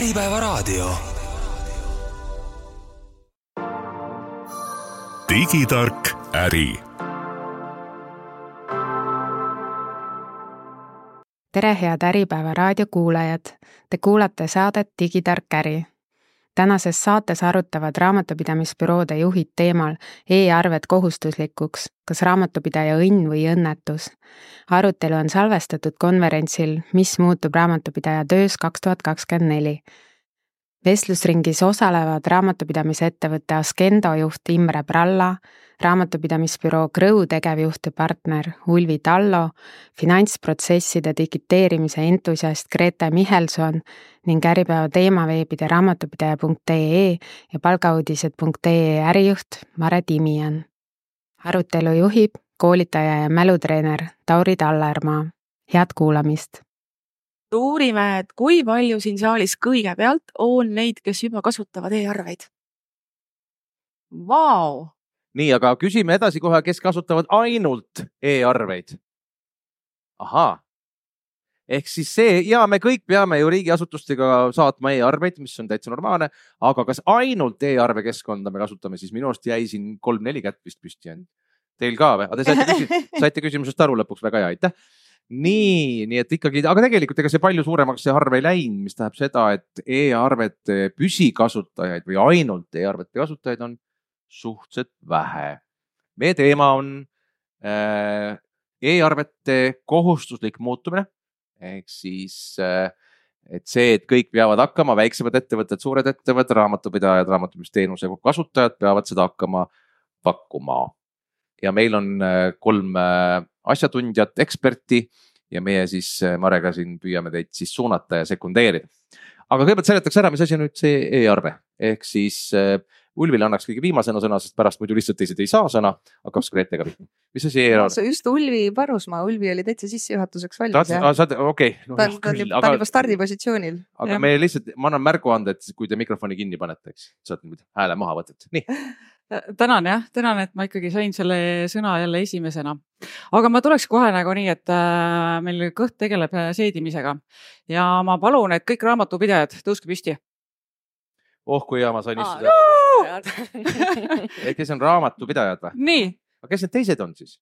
Äripäevaraadio. Digitark äri. Tere head Äripäevaraadio kuulajad! Te kuulate saadet Digitark äri. Tänases saates arutavad raamatupidamisbüroode juhid teemal e-arved kohustuslikuks, kas raamatupidaja õnn või õnnetus. Arutelu on salvestatud konverentsil, mis muutub raamatupidaja töös 2024. Vestlusringis osalevad raamatupidamise ettevõtte Askendo juht Imre Pralla, raamatupidamisbüroo Grõu tegevjuht ja partner Ulvi Tallo, finantsprotsesside digiteerimise entusiast Grete Michelson ning Äripäeva teemaveebide raamatupidaja.ee ja palgauudised.ee ärijuht Mare Timian. Arutelu juhib koolitaja ja mälutreener Tauri Tallermaa. Head kuulamist! Uurime, et kui palju siin saalis kõigepealt on neid, kes juba kasutavad e-arveid. Vau! Nii, aga küsime edasi kohe, kes kasutavad ainult e-arveid. Ahaa. Ehk siis see, ja me kõik peame ju riigiasutustega saatma e-arveid, mis on täitsa normaalne, aga kas ainult e-arve keskkonda me kasutame, siis minu arust jäi siin 3-4 kätt vist püsti. Teil ka või? Te saite küsimusest aru lõpuks, väga hea, aitäh. Nii et ikkagi, aga tegelikult ega see palju suuremaks see arv ei läinud, mis tähendab seda, et e-arvete püsikasutajaid või ainult e-arvete kasutajaid on suhteliselt vähe. Meie teema on e-arvete kohustuslik muutumine, ehk siis et see, et kõik peavad hakkama, väiksemad ettevõtted, suured ettevõtted, raamatupidajad, raamatupidamisteenuse kasutajad peavad seda hakkama pakkuma. Ja meil on 3 asjatundjat, eksperti ja meie siis Marega siin püüame teid siis suunata ja sekundeerida. Aga kõigepealt seletaks ära, mis asi on nüüd see e-arve. Ehk siis Ulvile annaks kõige viimasena sõna, sest pärast muidu lihtsalt teised ei saa sõna, aga kas Gretega pihta. Mis asi e-arve? See just Ulvi Parusmaa. Ulvi oli täitsa sissejuhatuseks valmis. Okei. Ta on juba stardipositsioonil. Aga me lihtsalt, ma annan märgu anda, et kui te mikrofoni kinni panete, eks, saate hääle maha võtet. Nii. Tänan, et ma ikkagi sain selle sõna jälle esimesena. Aga ma tuleks kohe nagu nii, et meil kõht tegeleb seedimisega. Ja ma palun, et kõik raamatupidajad tõuske püsti. Kui hea, ma sain istuda. Kes on raamatupidajad või? Nii. Aga kes need teised on siis?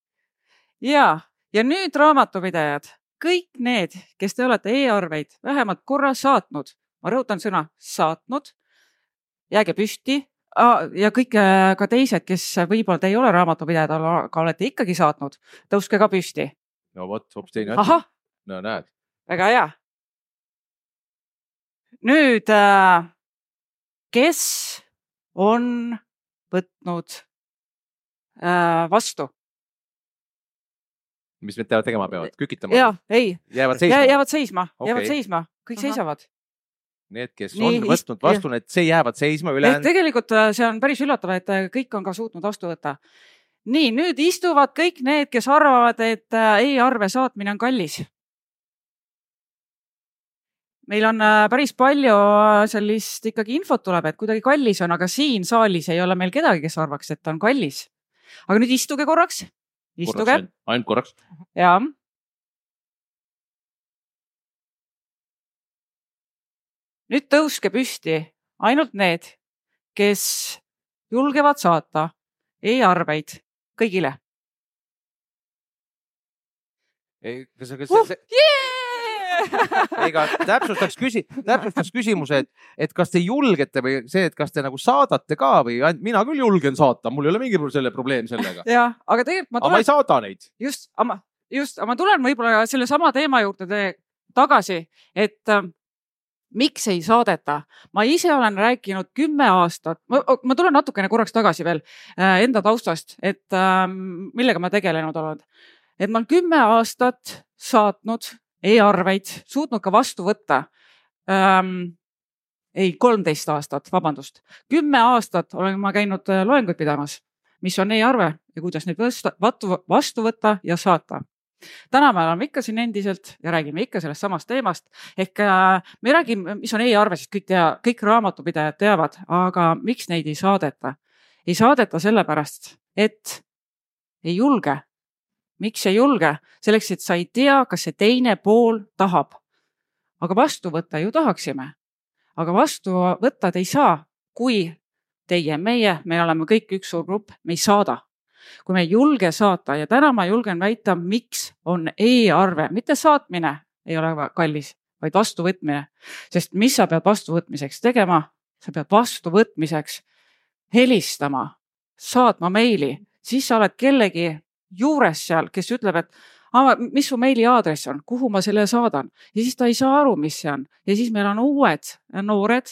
Ja nüüd raamatupidajad, kõik need, kes te olete e-arveid vähemalt korra saatnud, ma rõhutan sõna saatnud, jääge püsti. Ja kõik ka teised, kes võib-olla te ei ole raamatupidajad, aga olete ikkagi saatnud, tõuske ka püsti. No vot, hoopis teine asi. No näed. Väga hea. Nüüd, kes on võtnud vastu? Mis me tegema peavad? Kükitama? Jäävad seisma. Kõik seisavad. Need, kes on võtnud vastu, need see jäävad seisma üle. Tegelikult see on päris üllatav, et kõik on ka suutnud vastu võtta. Nii, nüüd istuvad kõik need, kes arvavad, et e-arve saatmine on kallis. Meil on päris palju sellist ikkagi infot tuleb, et kuidagi kallis on, aga siin saalis ei ole meil kedagi, kes arvaks, et on kallis. Aga nüüd istuge korraks. Istuge. Ainult korraks. Jaa. Nüüd tõuske püsti ainult need, kes julgevad saata e-arveid kõigile. Ega täpsustaks küsimuse, et kas te julgete või see, et kas te nagu saadate ka või mina küll julgen saata, mul ei ole mingi selle probleem sellega. Jah, aga tegelikult ma ei saada neid. Just, ma tulen võib-olla selle sama teema juurde tagasi, et miks ei saadeta? Ma ise olen rääkinud 10 aastat. Ma tulen natukene korraks tagasi veel enda taustast, et millega ma tegelenud olen. Et ma olen 10 aastat saatnud e-arveid, suutnud ka vastu võtta. 13 aastat, vabandust. 10 aastat olen ma käinud loenguid pidamas, mis on e-arve ja kuidas neid vastu võtta ja saata. Täna me oleme ikka siin endiselt ja räägime ikka sellest samast teemast. Ehk me räägime, mis on e-arve, siis kõik raamatupidajad teavad, aga miks neid ei saadeta? Ei saadeta sellepärast, et ei julge. Miks ei julge? Selleks, et sa ei tea, kas see teine pool tahab. Aga vastu võtta ju tahaksime. aga vastu võtta te ei saa, kui teie, me oleme kõik üks suur grupp, me ei saada. Kui me ei julge saata ja täna ma julgen väita, miks on e-arve, mitte saatmine ei ole kallis, vaid vastuvõtmine. Sest mis sa pead vastuvõtmiseks tegema? Sa pead vastuvõtmiseks helistama, saatma meili, siis sa oled kellegi juures seal, kes ütleb, et mis su meili aadress on, kuhu ma selle saadan ja siis ta ei saa aru, mis see on. Ja siis meil on uued noored,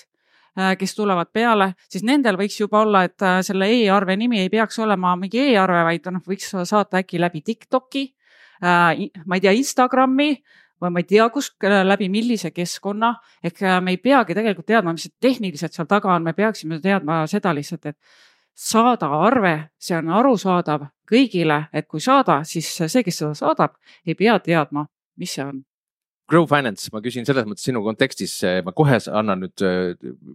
kes tulevad peale, siis nendel võiks juba olla, et selle e-arve nimi ei peaks olema mingi e-arve, vaid võiks saata äkki läbi TikToki, ma ei tea, Instagrami või ma ei tea, kus läbi millise keskkonna, ehk me ei peagi tegelikult teadma, mis tehniliselt seal taga on, me peaksime teadma seda lihtsalt, et saada arve, see on arusaadav kõigile, et kui saada, siis see, kes seda saadab, ei pea teadma, mis see on. Grow Finance, ma küsin selles mõttes sinu kontekstis, ma kohe annan nüüd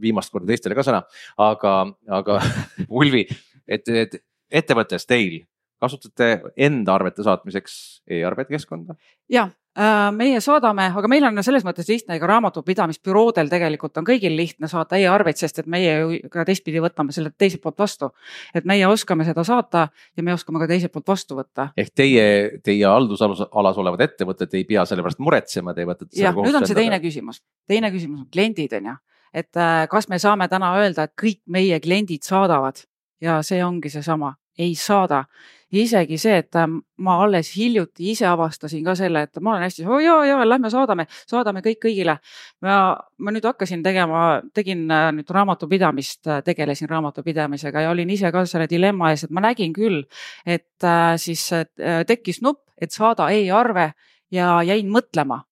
viimast korda teistele ka sõna, aga Ulvi, et ettevõttes teil kasutate enda arvete saatmiseks e-arvete keskkonda? Ja, meie saadame, aga meil on selles mõttes lihtne, ega raamatupidamisbüroodel tegelikult on kõigil lihtne saata e-arveid, sest et meie ka teistpidi võtame selle teiselt poolt vastu. Et meie oskame seda saata ja me oskame ka teiselt poolt vastu võtta. Ehk teie haldusalas olevad ettevõtted ei pea selle pärast muretsema, te võtate selle kohustuse. Nüüd on see teine küsimus. Teine küsimus on kliendid, on ja. Et kas me saame täna öelda, et kõik meie kliendid saadavad ja see ongi see sama, ei saada. Isegi see, et ma alles hiljuti ise avastasin ka selle, et ma olen hästi, lähme saadame kõik kõigile. Ma nüüd hakkasin tegin nüüd raamatupidamist, tegelesin raamatupidamisega ja olin ise ka selle dilemma ees, et ma nägin küll, et siis tekkis nupp, et saada e-arve ja jäin mõtlema.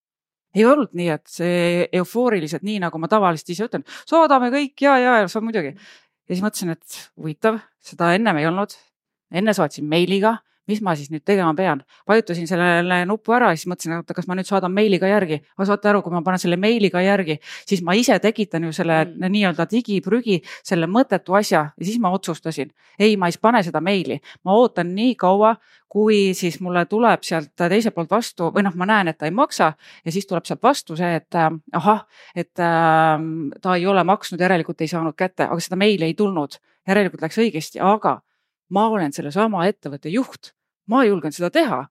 Ei olnud nii, et see eufooriliselt nii, nagu ma tavaliselt ise ütlen, saadame kõik ja see on muidugi. Ja siis mõtlesin, et huvitav, seda ennem ei olnud. Enne saatsin meiliga, mis ma siis nüüd tegema pean. Vajutasin selle nupu ära ja siis mõtlesin, et kas ma nüüd saadan meiliga järgi. Aga saate aru, kui ma panen selle meiliga järgi, siis ma ise tekitan ju selle nii-öelda digiprügi, selle mõttetu asja ja siis ma otsustasin. Ei, ma ei pane seda meili. Ma ootan nii kaua, kui siis mulle tuleb sealt teise poolt vastu või ma näen, et ta ei maksa ja siis tuleb sealt vastu see, et ta ei ole maksnud, järelikult ei saanud kätte, aga seda meili ei tulnud. Järelikult läks õigesti, aga ma olen selle sama ettevõtte juht, ma julgen seda teha,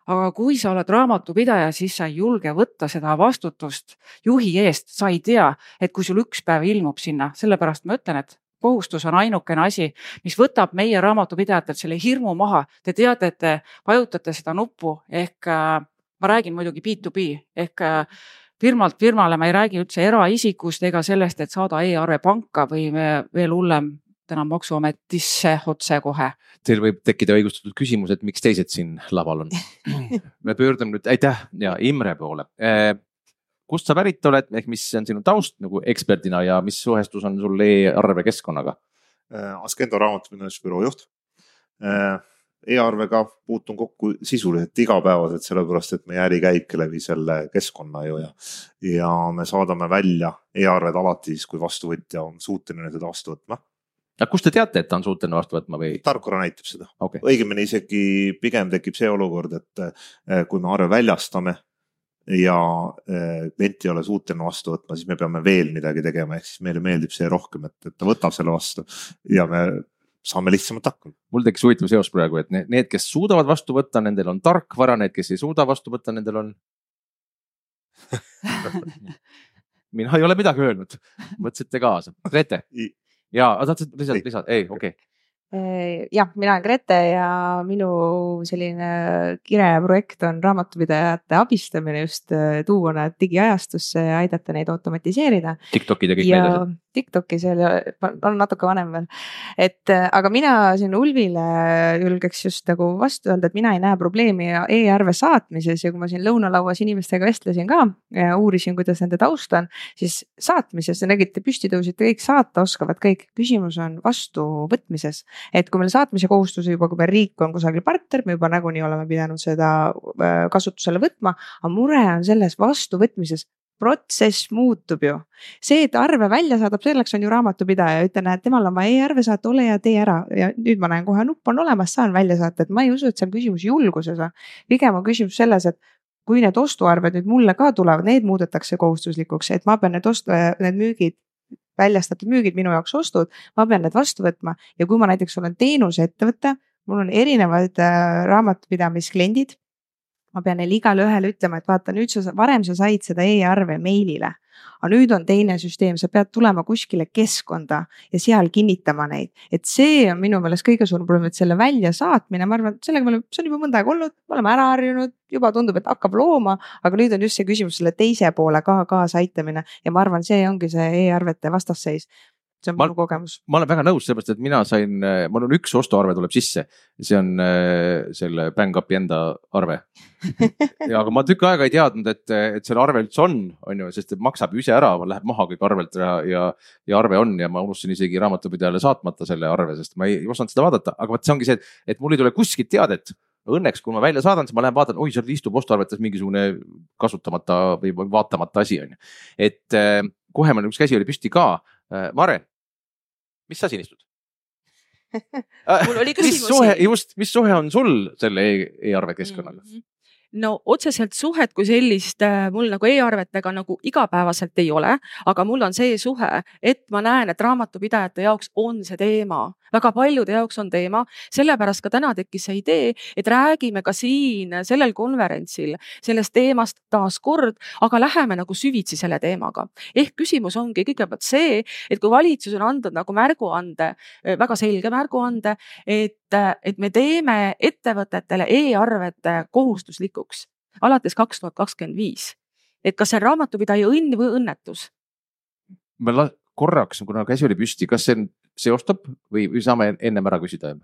aga kui sa oled raamatupidaja, siis sa ei julge võtta seda vastutust juhi eest, sa ei tea, et kui sul üks päev ilmub sinna, sellepärast ma ütlen, et kohustus on ainukene asi, mis võtab meie raamatupidajatelt selle hirmu maha, te teate, et te vajutate seda nuppu, ehk ma räägin muidugi B2B, ehk firmalt firmale, ma ei räägi üldse eraisikust ega sellest, et saada e-arve panka või veel hullem täna maksuametisse otse kohe. Teil võib tekkida õigustatud küsimus, et miks teised siin laval on. Me pöördume nüüd, aitäh, ja Imre poole. Kust sa pärit oled, ehk mis on sinu taust nagu eksperdina ja mis suhestus on sul e-arve keskkonnaga? Askendo raamatupidamisbüroo juht. E-arvega puutun kokku sisuliselt igapäevaselt, sellepärast, et meie äri käibki läbi selle keskkonna ju ja me saadame välja e-arved alati siis, kui vastuvõtja on suuteline seda vastu võtma. Aga kust te teate, et ta on suuteline vastu võtma või? Tarkvara näitab seda. Okay. Õigemini isegi pigem tekib see olukord, et kui me arve väljastame ja klient ei ole suuteline vastu võtma, siis me peame veel midagi tegema, ehk siis meile meeldib see rohkem, et ta võtab selle vastu ja me saame lihtsamalt hakkama. Mul tekkis huvitav seos praegu, et need, kes suudavad vastu võtta, nendel on tarkvara, need, kes ei suuda vastu võtta, nendel on mina ei ole midagi öelnud, mõtlesite kaasa. Grete? Jaa, tahtsid lisad? Ei, okei. Jah, mina olen Grete ja minu selline kireprojekt on raamatupidajate abistamine just tuua nad digiajastusse ja aidata neid automatiseerida. TikTokid ja kõik need asjad. TikToki seal on natuke vanem veel. Aga mina siin Ulvile julgeks just nagu vastu öelda, et mina ei näe probleemi e-arve saatmises ja kui ma siin lõunalauas inimestega vestlesin ka ja uurisin, kuidas nende taust on, siis saatmises nägite püsti tõusite kõik saata oskavad kõik. Küsimus on vastuvõtmises. Et kui meil saatmise kohustus juba, kui meil riik on kusagil partner, me juba nagunii oleme pidanud seda kasutusele võtma, aga mure on selles vastuvõtmises. Protsess muutub ju. See, et arve välja saadab, selleks on ju raamatupidaja. Ütlen, et temal on vaja e-arve saata, ole ja tee ära. Ja nüüd ma näen kohe nupp on olemas, saan välja saata. Et ma ei usu, et see on küsimus julguses. Pigem on küsimus selles, et kui need ostuarved nüüd mulle ka tulevad, need muudetakse kohustuslikuks, et ma pean need müügid, väljastatud müügid minu jaoks ostud, ma pean need vastu võtma ja kui ma näiteks olen teenuseettevõte, mul on erinevad raamatupidamiskliendid, ma pean neile igale ühele ütlema, et vaata nüüd varem sa said seda e-arve meilile, aga nüüd on teine süsteem, sa pead tulema kuskile keskkonda ja seal kinnitama neid. Et see on minu meelest kõige suurem probleem, et selle välja saatmine, ma arvan, et sellega see on juba mõnda aega olnud, me oleme ära harjunud, juba tundub, et hakkab looma, aga nüüd on just see küsimus selle teise poole kaasa aitamine ja ma arvan, see ongi see e-arvete vastasseis. See on minu kogemus. Ma olen väga nõus, sellepärast, et mul on üks ostuarve tuleb sisse. See on selle Bangupi enda arve. Ja, aga ma tükk aega ei teadnud, et selle arve üldse on ju, sest maksab ju ise ära, läheb maha kõik arvelt ja arve on ja ma unustasin isegi raamatupidajale saatmata selle arve, sest ma ei osanud seda vaadata, aga see ongi see, et mul ei tule kuskilt teadet. Õnneks, kui ma välja saadan, siis ma lähen vaatan, seal istub ostuarvetes mingisugune kasutamata või vaatamata asi on. Et kohe meil üks käsi oli püsti ka. Mare, mis sa siin istud? Mul oli küsimusi. Mis suhe on sul selle e-arve keskkonnaga? No otseselt suhet kui sellist mul nagu e-arvetega nagu igapäevaselt ei ole, aga mul on see suhe, et ma näen, et raamatupidajate jaoks on see teema. Väga paljude jaoks on teema, sellepärast ka täna tekkis see idee, et räägime ka siin sellel konverentsil sellest teemast taas kord, aga läheme nagu süvitsi selle teemaga. Ehk küsimus ongi kõigepealt see, et kui valitsus on andnud nagu märguande, väga selge märguande, et me teeme ettevõtetele e-arvete kohustuslikuks alates 2025. Et kas see on raamatupidaja õnn või õnnetus? Korraks, kuna käsi oli püsti, kas see seostab või saame ennem ära küsida?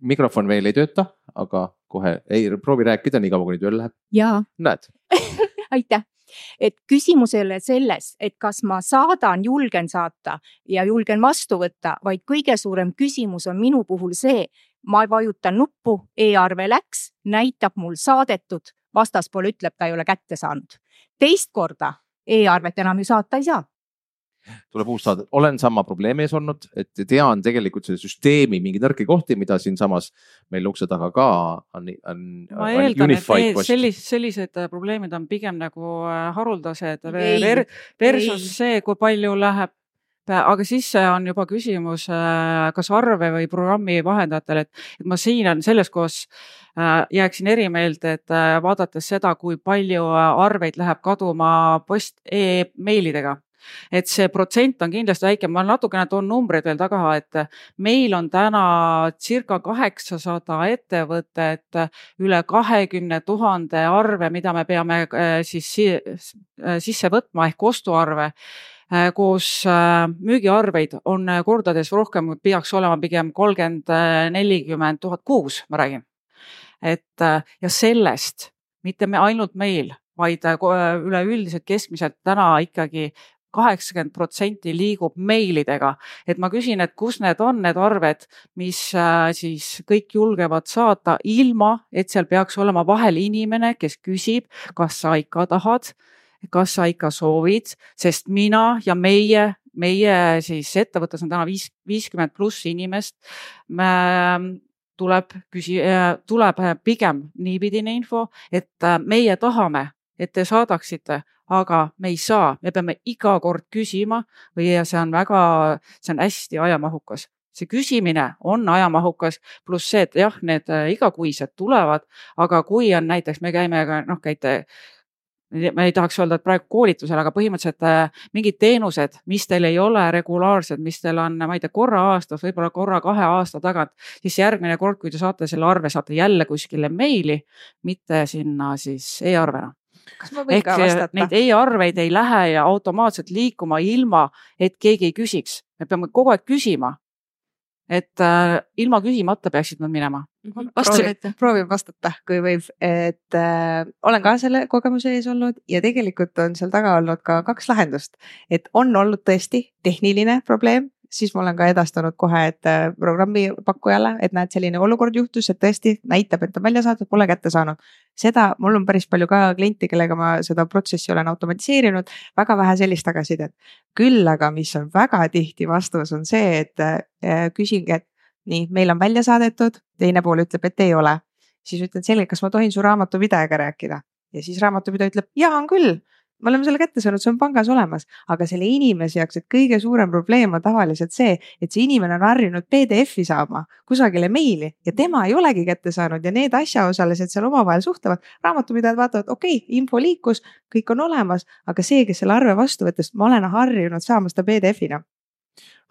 Mikrofon veel ei tööta, aga kohe proovi rääkida nii kaua, kui nüüd ööl läheb. Jaa. Näed? Aitäh. Et küsimus ei ole selles, et kas ma julgen saata ja julgen vastu võtta, vaid kõige suurem küsimus on minu puhul see, ma vajutan nuppu, e-arve läks, näitab mul saadetud, vastaspool ütleb, ta ei ole kätte saanud. Teist korda e-arvet enam ju saata ei saa. Tuleb uus saade. Olen sama probleemi ees olnud, et tean tegelikult selle süsteemi mingi nõrki kohti, mida siin samas meil ukse taga ka on ma eeldan, et sellised probleemid on pigem nagu haruldased versus see, kui palju läheb. Aga siis on juba küsimus, kas arve või programmi vahendajatel, et ma siin on selles kohas jääksin erimeelt, et vaadates seda, kui palju arveid läheb kaduma e-mailidega. Et see protsent on kindlasti väike, ma natukene toon numbreid veel taga, et meil on täna circa 800 ettevõtet, üle 20 000 arve, mida me peame siis sisse võtma ehk ostuarve, koos müügiarveid on kordades rohkem, peaks olema pigem 30-40 000 kuus, ma räägin. Ja sellest, mitte ainult meil, vaid üleüldiselt keskmiselt täna ikkagi 80% liigub meilidega, et ma küsin, et kus need on need arved, mis siis kõik julgevad saata ilma, et seal peaks olema vahel inimene, kes küsib, kas sa ikka tahad, kas sa ikka soovid, sest mina ja meie siis ettevõttes on täna 50+ inimest, tuleb pigem niipidine info, et meie tahame, et te saadaksite, aga me ei saa, me peame iga kord küsima või see on hästi ajamahukas. See küsimine on ajamahukas, pluss see, et jah, need igakuised tulevad, aga kui on näiteks, me käime, ma ei tahaks öelda, et praegu koolitusel, aga põhimõtteliselt mingid teenused, mis teil ei ole regulaarsed, mis teil on, ma ei tea, korra aastas, võib-olla korra 2 aasta tagant, siis järgmine kord, kui te saate selle arve, saate jälle kuskile meili, mitte sinna siis e-arvena. Kas ma võin ka vastata? Neid e-arveid ei lähe ja automaatselt liikuma ilma, et keegi ei küsiks. Me peame kogu aeg küsima, et ilma küsimata peaksid nad minema. Proovin vastata, kui võib, et olen ka selle kogemuse ees olnud ja tegelikult on seal taga olnud ka 2 lahendust, et on olnud tõesti tehniline probleem, siis ma olen ka edastanud kohe, et programmi pakkujale, et näed, selline olukord juhtus, et tõesti näitab, et on välja saadud, pole kätte saanud. Seda, mul on päris palju ka klienti, kellega ma seda protsessi olen automatiseerinud, väga vähe sellist tagasisidet. Küll aga, mis on väga tihti vastus, on see, et küsingi, et nii, meil on välja saadetud, teine pool ütleb, et ei ole. siis ütlen selgelt, kas ma tohin su raamatupidajaga rääkida ja siis raamatupidaja ütleb, jaa on küll. Me oleme selle kätte saanud, see on pangas olemas, aga selle inimese jaoks, et kõige suurem probleem on tavaliselt see, et see inimene on harjunud PDF-i saama kusagile meili ja tema ei olegi kätte saanud ja need asjaosalised seal omavahel suhtlevad. Raamatupidajad vaatavad, okei, info liikus, kõik on olemas, aga see, kes selle arve vastu võttes, ma olen harjunud saama seda PDF-ina.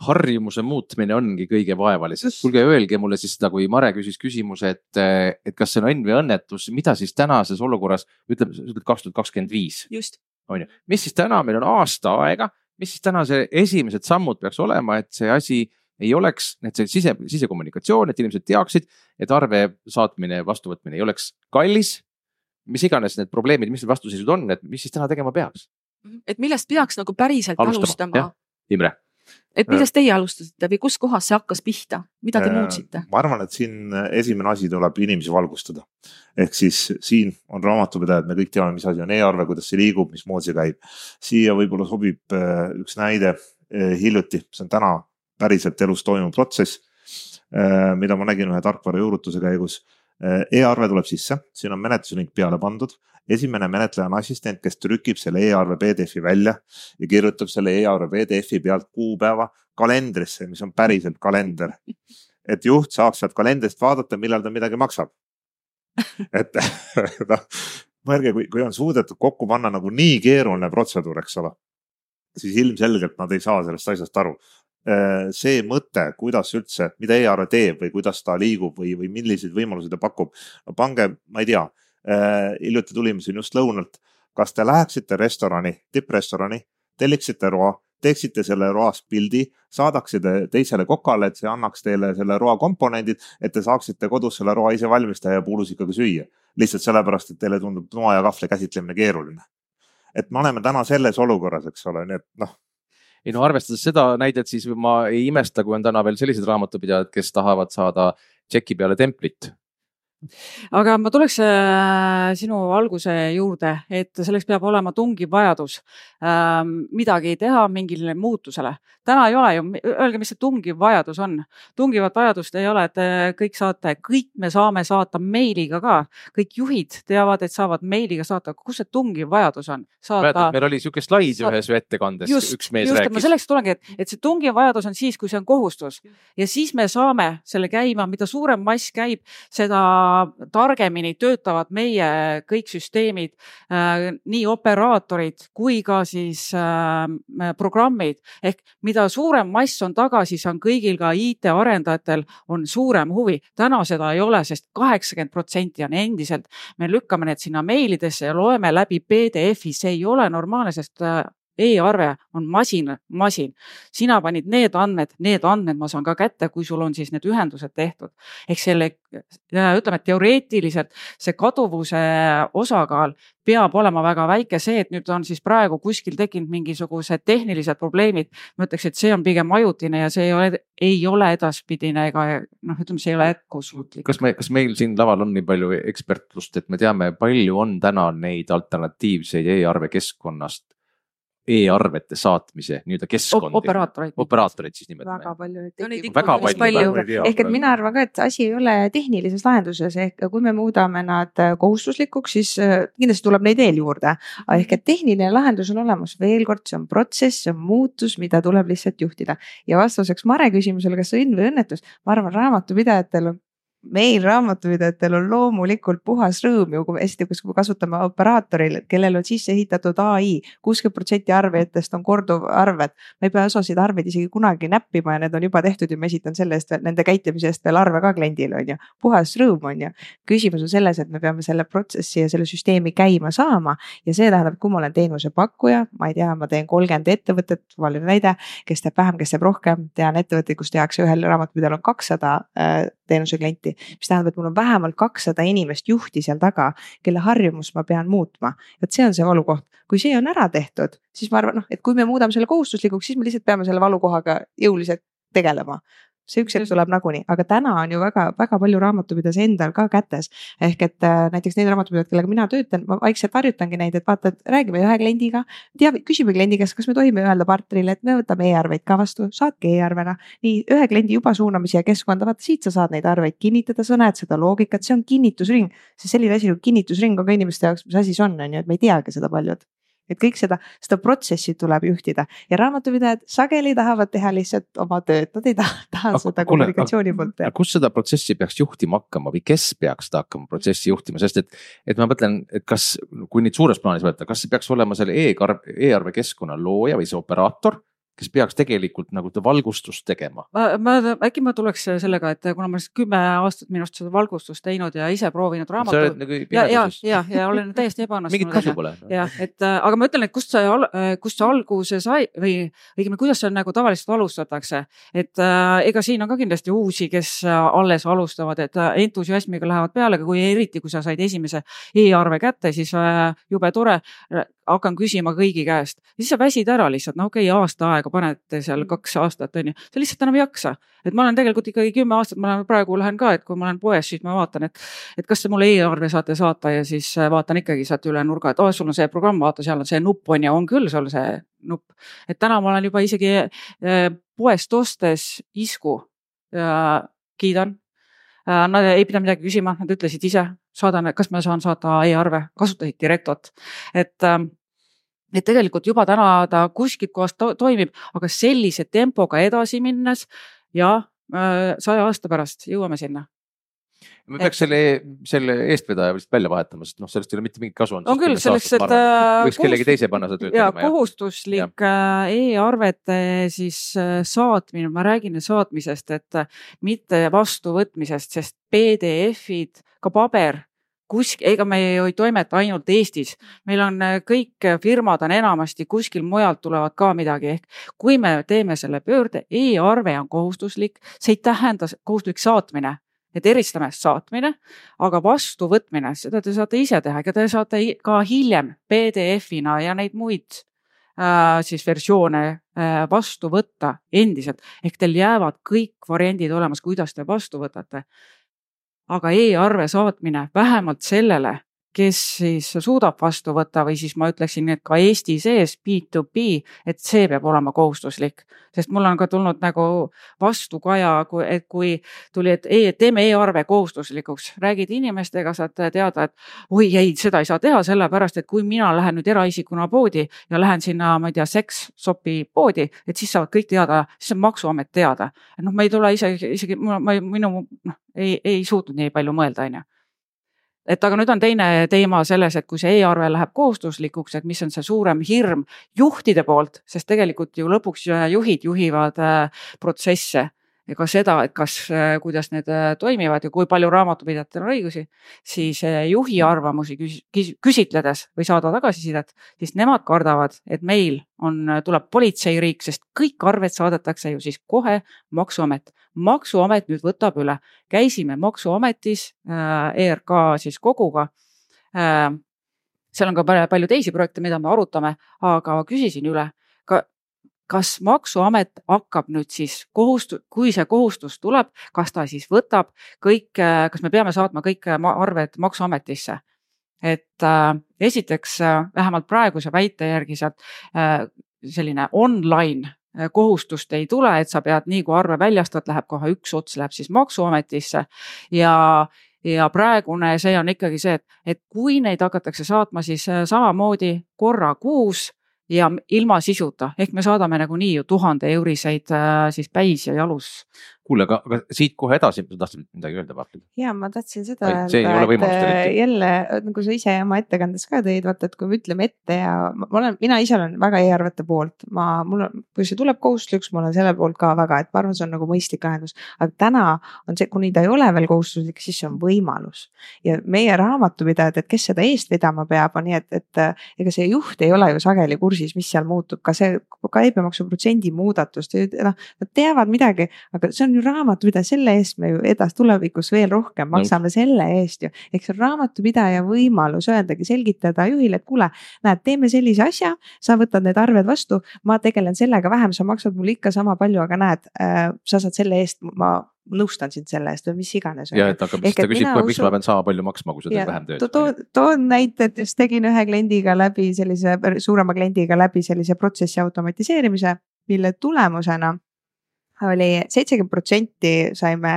Harjumuse muutmine ongi kõige vaevalisem. Kuulge, öelge mulle siis seda, kui Mare küsis küsimuse, et kas see on õnn või õnnetus, mida siis tänases olukorras, ütleme 2025. Just. Mis siis täna, meil on aasta aega, mis siis täna see esimesed sammud peaks olema, et see asi ei oleks, et see sisekommunikatsioon, et inimesed teaksid, et arve saatmine ja vastuvõtmine ei oleks kallis, mis iganes need probleemid, mis need vastuseisud on, et mis siis täna tegema peaks? Et millest peaks nagu päriselt alustama? Imre. Et millest teie alustasite või kus kohas see hakkas pihta? Mida te muutsite? Ma arvan, et siin esimene asi tuleb inimesi valgustada. Ehk siis siin on raamatupidajad, me kõik teame, mis asi on e-arve, kuidas see liigub, mis mood see käib. Siia võib-olla sobib üks näide hiljuti, see on täna päriselt elus toimuv protsess, mida ma nägin ühe tarkvara juurutuse käigus. E-arve tuleb sisse, siin on menetluslink peale pandud. Esimene menetleja on assistent, kes trükib selle e-arve PDF-i välja ja kirjutab selle e-arve PDF-i pealt kuupäeva kalendrisse, mis on päriselt kalender. Et juht saaks sealt kalendrist vaadata, millal ta midagi maksab. Et mõelge, kui on suudetud kokku panna nagu nii keeruline protseduur, eks ole, siis ilmselgelt nad ei saa sellest asjast aru. See mõte, kuidas üldse, mida e-arve teeb või kuidas ta liigub või milliseid võimalusi ta pakub. No pange, ma ei tea, hiljuti tulime siin just lõunalt, kas te läheksite restorani, tipprestorani, telliksite roa, teeksite selle roast pildi, saadaksite teisele kokale, et see annaks teile selle roa komponendid, et te saaksite kodus selle roa ise valmistada ja puulusikaga süüa. Lihtsalt sellepärast, et teile tundub noa ja kahvli käsitlemine keeruline. Et me oleme täna selles olukorras, eks ole, nii et noh. Ei no arvestades seda näidet, siis ma ei imesta, kui on täna veel sellised raamatupidajad, kes tahavad saada tšeki peale templit. Aga ma tuleks sinu alguse juurde, et selleks peab olema tungiv vajadus midagi teha mingile muutusele. Täna ei ole ju, öelge, mis see tungiv vajadus on. Tungivat vajadust ei ole, et kõik me saame saata meiliga ka. Kõik juhid teavad, et saavad meiliga saata. Kus see tungiv vajadus on? Meil oli siuke slaid ühes ettekandes, üks mees rääkis. Ma selleks tulengi, et see tungiv vajadus on siis, kui see on kohustus. Ja siis me saame selle käima, mida suurem mass käib, seda targemini töötavad meie kõik süsteemid, nii operaatorid kui ka siis programmid. Ehk mida suurem mass on taga, siis on kõigil ka IT-arendajatel on suurem huvi. Täna seda ei ole, sest 80% on endiselt. Me lükkame need sinna meilidesse ja loeme läbi PDF-i. See ei ole normaalne, sest e-arve on masin. Sina panid need andmed ma saan ka kätte, kui sul on siis need ühendused tehtud. Ehk selle, ütleme, et teoreetiliselt see kaduvuse osakaal peab olema väga väike. See, et nüüd on siis praegu kuskil tekkinud mingisugused tehnilised probleemid, ma ütleks, et see on pigem ajutine ja see ei ole edaspidine ega ütleme, see ei ole jätkusuutlik. Kas meil siin laval on nii palju ekspertlust, et me teame, palju on täna neid alternatiivseid e-arve keskkonnast e-arvete saatmise nii-öelda keskkondi. Operaatoreid siis nimetame. Väga palju. Ehk et mina arvan ka, et asi ei ole tehnilises lahenduses. Ehk kui me muudame nad kohustuslikuks, siis kindlasti tuleb neid veel juurde. Ehk et tehniline lahendus on olemas. Veel kord, see on protsess, see on muutus, mida tuleb lihtsalt juhtida. Ja vastuseks Mare küsimusele, kas õnn või õnnetus, ma arvan, raamatupidajatel on meil raamatupidajatel on loomulikult puhas rõõm ju, kui kasutame operaatoril, kellel on sisse ehitatud AI, 60% arvijatest on korduv arved. Ma ei pea osasid arveid isegi kunagi näppima ja need on juba tehtud ja ma esitan selle eest, nende käitlemise eest veel arve ka kliendil on ju. Puhas rõõm on ju. Küsimus on selles, et me peame selle protsessi ja selle süsteemi käima saama ja see tähendab, kui ma olen teenuse pakkuja, ma ei tea, ma teen 30 ettevõtet, valine näide, kes teeb vähem, kes teeb rohkem, tean ettevõtteid, kus tehakse ühel raamatupidajal on 200 teenuse klienti, mis tähendab, et mul on vähemalt 200 inimest juhti seal taga, kelle harjumus ma pean muutma. Et see on see valukoht. Kui see on ära tehtud, siis ma arvan, et kui me muudame selle kohustuslikuks, siis me lihtsalt peame selle valukohaga jõuliselt tegelema. see üks hetk tuleb nagunii, aga täna on ju väga palju raamatupidajasi endal ka kätes. Ehk et näiteks need raamatupidajad, kellega mina töötan, ma vaikselt harjutangi neid, et vaata, et räägime ühe kliendiga, küsime kliendi käest, kas me tohime öelda partnerile, et me võtame e-arveid ka vastu, saatke e-arvena. Nii ühe kliendi juba suuname siia keskkonda, vaata siit sa saad neid arveid kinnitada, sa näed seda loogikat, see on kinnitusring. See selline asi, kinnitusring on ka inimeste jaoks, mis asi see on, et me ei teagi seda paljud. Et kõik seda protsessi tuleb juhtida ja raamatupidajad sageli tahavad teha lihtsalt oma tööd, nad ei taha seda kommunikatsiooni poolt teha. Kus seda protsessi peaks juhtima hakkama või kes peaks seda hakkama protsessi juhtima, sest et ma mõtlen, et kas, kui nüüd suures plaanis võtta, kas see peaks olema selle e-arve keskkonna looja või see operaator, kes peaks tegelikult nagu valgustust tegema? Äkki ma tuleks sellega, et kuna ma 10 aastat minust seda valgustust teinud ja ise proovinud raamatut. Ja olen täiesti ebaõnnestunud. Mingit kasu pole. Aga ma ütlen, et kust see alguse sai või õigemini, kuidas see nagu tavaliselt alustatakse. Et ega siin on ka kindlasti uusi, kes alles alustavad, et entusiasmiga lähevad peale, kui eriti, kui sa said esimese e-arve kätte, siis jube tore, hakkan küsima kõigi käest. Siis sa väsid ära lihtsalt, aasta aega panete seal 2 aastat, on ju. See lihtsalt enam ei jaksa. Et ma olen tegelikult ikkagi 10 aastat, ma praegu lähen ka, et kui ma olen poes, siis ma vaatan, et kas te mulle e-arve saate saata ja siis vaatan ikkagi sealt üle nurga, et sul on see programm, vaata, seal on see nupp on ja on küll sul see nupp. Et täna ma olen juba isegi poest ostes isku kiidan. Nad ei pidanud midagi küsima, nad ütlesid ise, kas ma saan saata e-arve, kasutasid Directot. Et tegelikult juba täna ta kuskilt kohast toimib, aga sellise tempoga edasi minnes ja 100 aasta pärast jõuame sinna. Me peaks selle eestvedaja vist välja vahetama, sest sellest ei ole mitte mingit kasu. On küll, selleks, et võiks kellegi teise panna seda tööd tegema. Kohustuslik e-arvete siis saatmine, ma räägin saatmisest, et mitte vastuvõtmisest, sest PDF-id, ka paber, ega me ei toimeta ainult Eestis. Meil on kõik firmad on enamasti kuskil mujalt tulevad ka midagi. Ehk kui me teeme selle pöörde, e-arve on kohustuslik, see ei tähenda kohustuslik saatmine. Et eristame saatmine, aga vastuvõtmine, seda te saate ise teha, ega te saate ka hiljem PDF-ina ja neid muid siis versioone vastu võtta endiselt. Ehk teil jäävad kõik variandid olemas, kuidas te vastu võtate. Aga e-arve saatmine vähemalt sellele, kes siis suudab vastu võtta või siis ma ütleksin, et ka Eesti sees B2B, et see peab olema kohustuslik. Sest mul on ka tulnud nagu vastukaja, et kui tuli, et teeme e-arve kohustuslikuks, räägid inimestega, saad teada, et oi ei, seda ei saa teha sellepärast, et kui mina lähen nüüd eraisikuna poodi ja lähen sinna, ma ei tea, sekssopi poodi, et siis saavad kõik teada, siis on maksuamet teada. Et ma ei tule isegi ei suutnud nii palju mõelda, on ju. Et aga nüüd on teine teema selles, et kui see e-arve läheb kohustuslikuks, et mis on see suurem hirm juhtide poolt, sest tegelikult ju lõpuks juhid juhivad protsesse ja ka seda, et kuidas need toimivad ja kui palju raamatupidajatel on õigusi, siis juhi arvamusi küsitledes või saada tagasisidet, siis nemad kardavad, et meil tuleb politseiriik, sest kõik arved saadetakse ju siis kohe maksuamet. Maksuamet nüüd võtab üle. Käisime maksuametis ERK siis koguga. Seal on ka palju teisi projekte, mida me arutame, aga küsisin üle, kas maksuamet hakkab nüüd siis kui see kohustus tuleb, kas ta siis võtab kõik, kas me peame saatma kõik arved maksuametisse. Et esiteks vähemalt praeguse väite järgi sealt selline online kohustust ei tule, et sa pead nii kui arve väljastad, läheb kohe üks ots, läheb siis maksuametisse ja praegune see on ikkagi see, et kui neid hakatakse saatma, siis samamoodi korra kuus ja ilma sisuta, ehk me saadame nagu nii ju 1000 euriseid siis päis ja jalus. Kuule, aga siit kohe edasi, sa tahtsid midagi öelda, Martin? Ja, ma tahtsin seda öelda, et jälle, nagu sa ise oma ettekandes ka tõid, vaata, et kui me ütleme ette ja mina ise olen väga e-arvete poolt, kui see tuleb kohustuslikuks, ma olen selle poolt ka väga, et ma arvan, see on nagu mõistlik lahendus, aga täna on see, kuni ta ei ole veel kohustuslik, siis see on võimalus ja meie raamatupidajad, et kes seda eest vedama peab, on nii, et ega see juht ei ole ju sageli kursis, mis seal muutub, ka see käibemaksu protsendi muudatust, nad teavad midagi, aga see on on ju raamatupidaja, selle eest me ju tulevikus veel rohkem maksame selle eest ju. Eks see raamatupidaja võimalus öeldagi, selgitada juhile, et kuule, näed, teeme sellise asja, sa võtad need arved vastu, ma tegelen sellega vähem, sa maksad mulle ikka sama palju, aga näed, sa saad selle eest, ma nõustan sind selle eest või mis iganes. Ja, et hakkab, ta küsib kohe, miks ma pean sama palju maksma, kui sa teed vähem tööd. Toon näite, et just tegin ühe kliendiga läbi sellise, suurema kliendiga läbi sellise protsessi automatiseerimise, mille tulemusena oli 70% saime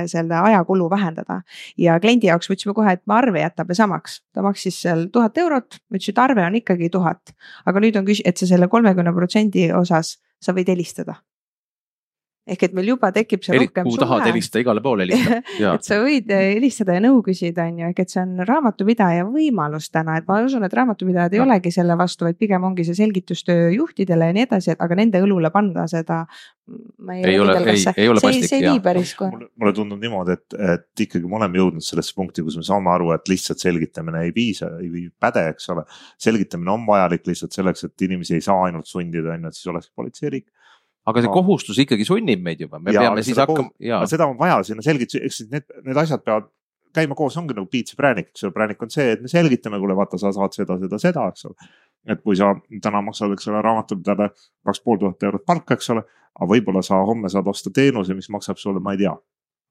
selle ajakulu vähendada ja kliendi jaoks võtsime kohe, et me arve jätame samaks. Ta maksis seal 1000 eurot, ma ütlesin, et arve on ikkagi 1000, aga nüüd on et sa selle 30% osas sa võid helistada. Ehk et meil juba tekib see rohkem suhe. Tahad helistada, igale poole helistada. Et sa võid helistada ja nõu küsida, on ju, ehk et see on raamatupidaja võimalus täna, et ma usun, et raamatupidajad ei olegi selle vastu, vaid pigem ongi see selgitustöö juhtidele ja nii edasi, aga nende õlule panna seda. Ei ole pastik. See nii päris kohe. Mulle tundub niimoodi, et ikkagi me oleme jõudnud sellesse punkti, kus me saame aru, et lihtsalt selgitamine ei piisa, ei päde, eks ole. Selgitamine on vajalik lihtsalt selleks, et inimesi ei saa ainult sundida, et siis oleks politseiriik. Aga see kohustus ikkagi sunnib meid juba, me peame siis hakkama. Seda on vaja sinna selgitus, need asjad peavad käima koos, ongi nagu piits ja präänik, präänik on see, et me selgitame, kuule vaata, sa saad seda, eks ole. Et kui sa täna maksad, eks ole, raamatupidajale 2500 eurot palka, eks ole, aga võib-olla sa homme saad osta teenuse, mis maksab sulle, ma ei tea,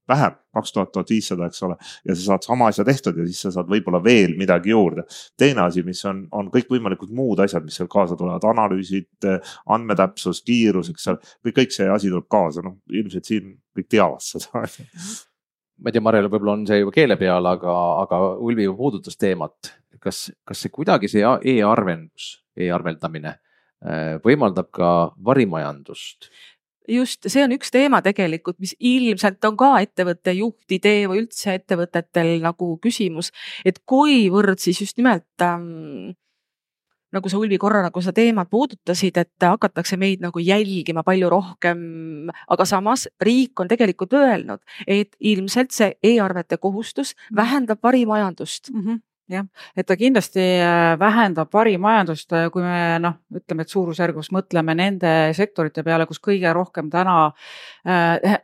vähem, 2500, eks ole, ja sa saad sama asja tehtud ja siis sa saad võib-olla veel midagi juurde. Teine asi, mis on kõik võimalikud muud asjad, mis seal kaasa tulevad, analüüsid, andmetäpsus, kiirus, eks ole, kõik see asi tuleb kaasa, ilmselt siin kõik teavad seda. Ma ei tea, Marjale võib-olla on see juba keele peal, aga Ulvi puudutas teemat. Kas see kuidagi see e-arveldamine võimaldab ka varimajandust? Just, see on üks teema tegelikult, mis ilmselt on ka ettevõtte juhtidee või üldse ettevõtetel nagu küsimus, et kuivõrd siis just nimelt nagu sa Ulvi korra nagu sa teemat puudutasid, et hakatakse meid nagu jälgima palju rohkem, aga samas riik on tegelikult öelnud, et ilmselt see e-arvete kohustus vähendab varimajandust. Jah, et ta kindlasti vähendab varimajandust, kui me ütleme, et suurusjärgus mõtleme nende sektorite peale, kus kõige rohkem täna,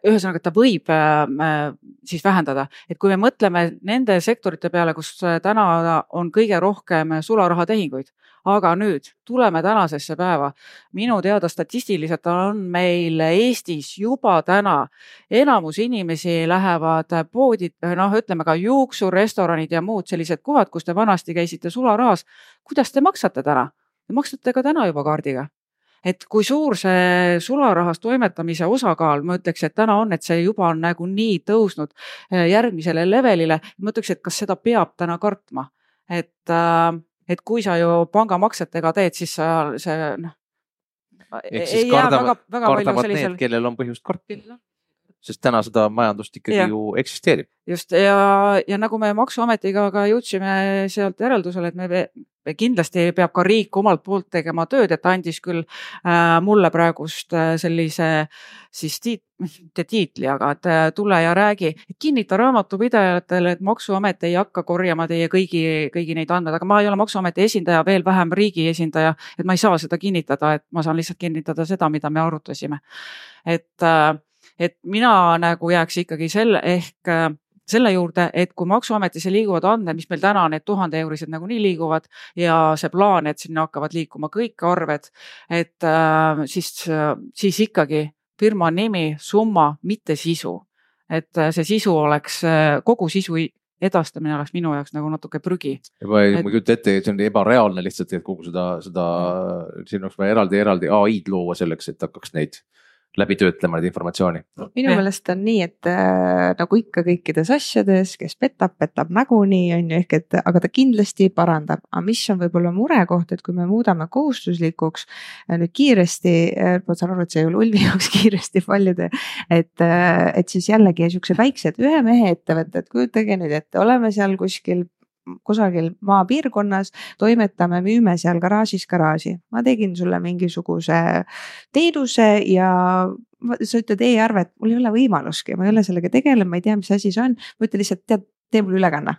ühesõnaga ta võib siis vähendada. Et kui me mõtleme nende sektorite peale, kus täna on kõige rohkem sularahatehinguid, aga nüüd tuleme tänasesse päeva. Minu teada statistiliselt on meil Eestis juba täna enamus inimesi lähevad poodid, ütleme ka juuksu, restoranid ja muud sellised kohad, kus te vanasti käisite sularahas. Kuidas te maksate täna? Te maksate ka täna juba kaardiga. Et kui suur see sularahas toimetamise osakaal, ma ütleks, et täna on, et see juba on nagu nii tõusnud järgmisele levelile. Ma ütleks, et kas seda peab täna kartma. Et kui sa ju pangamaksetega teed, siis see ehk siis kardavad need, kellel on põhjust karta. Sest täna seda majandust ikkagi ju eksisteerib. Just, ja nagu me Maksuametiga ka jõudsime sealt järeldusele, et me kindlasti peab ka riik omalt poolt tegema tööd, et andis küll mulle praegust sellise siis tiitli, aga et tule ja räägi, et kinnita raamatupidajatele, et Maksuamet ei hakka korjama teie kõigi neid andmed, aga ma ei ole Maksuameti esindaja, veel vähem riigi esindaja, et ma ei saa seda kinnitada, et ma saan lihtsalt kinnitada seda, mida me arutasime. Et mina nagu jääks ikkagi selle juurde, et kui Maksuametisse liiguvad andmed, mis meil täna need 1000 eurised nagu nii liiguvad ja see plaan, et sinna hakkavad liikuma kõik arved, et siis ikkagi firma nimi, summa, mitte sisu. Et see sisu oleks, kogu sisu edastamine oleks minu jaoks nagu natuke prügi. Ma kütte ette, et see on ebareaalne lihtsalt, et kogu seda siin oleks vaja eraldi AI-d luua selleks, et hakkaks neid läbi töötlema neid informatsiooni. Minu meelest on nii, et nagu ikka kõikides asjades, kes petab näguni, on ju, ehk et, aga ta kindlasti parandab. Aga mis on võib-olla murekoht, et kui me muudame kohustuslikuks nüüd kiiresti, ma saan aru, et see ei ole Ulvi jaoks kiiresti paljude, et siis jällegi niisugused väiksed ühe mehe ettevõtted, kujutage nüüd ette, oleme seal kusagil maapiirkonnas, toimetame, müüme seal garaaži. Ma tegin sulle mingisuguse teenuse ja sa ütled e-arvet, mul ei ole võimaluski, ma ei ole sellega tegelenud, ma ei tea, mis asi see on. Ma ütlen lihtsalt, tee mul ülekanne.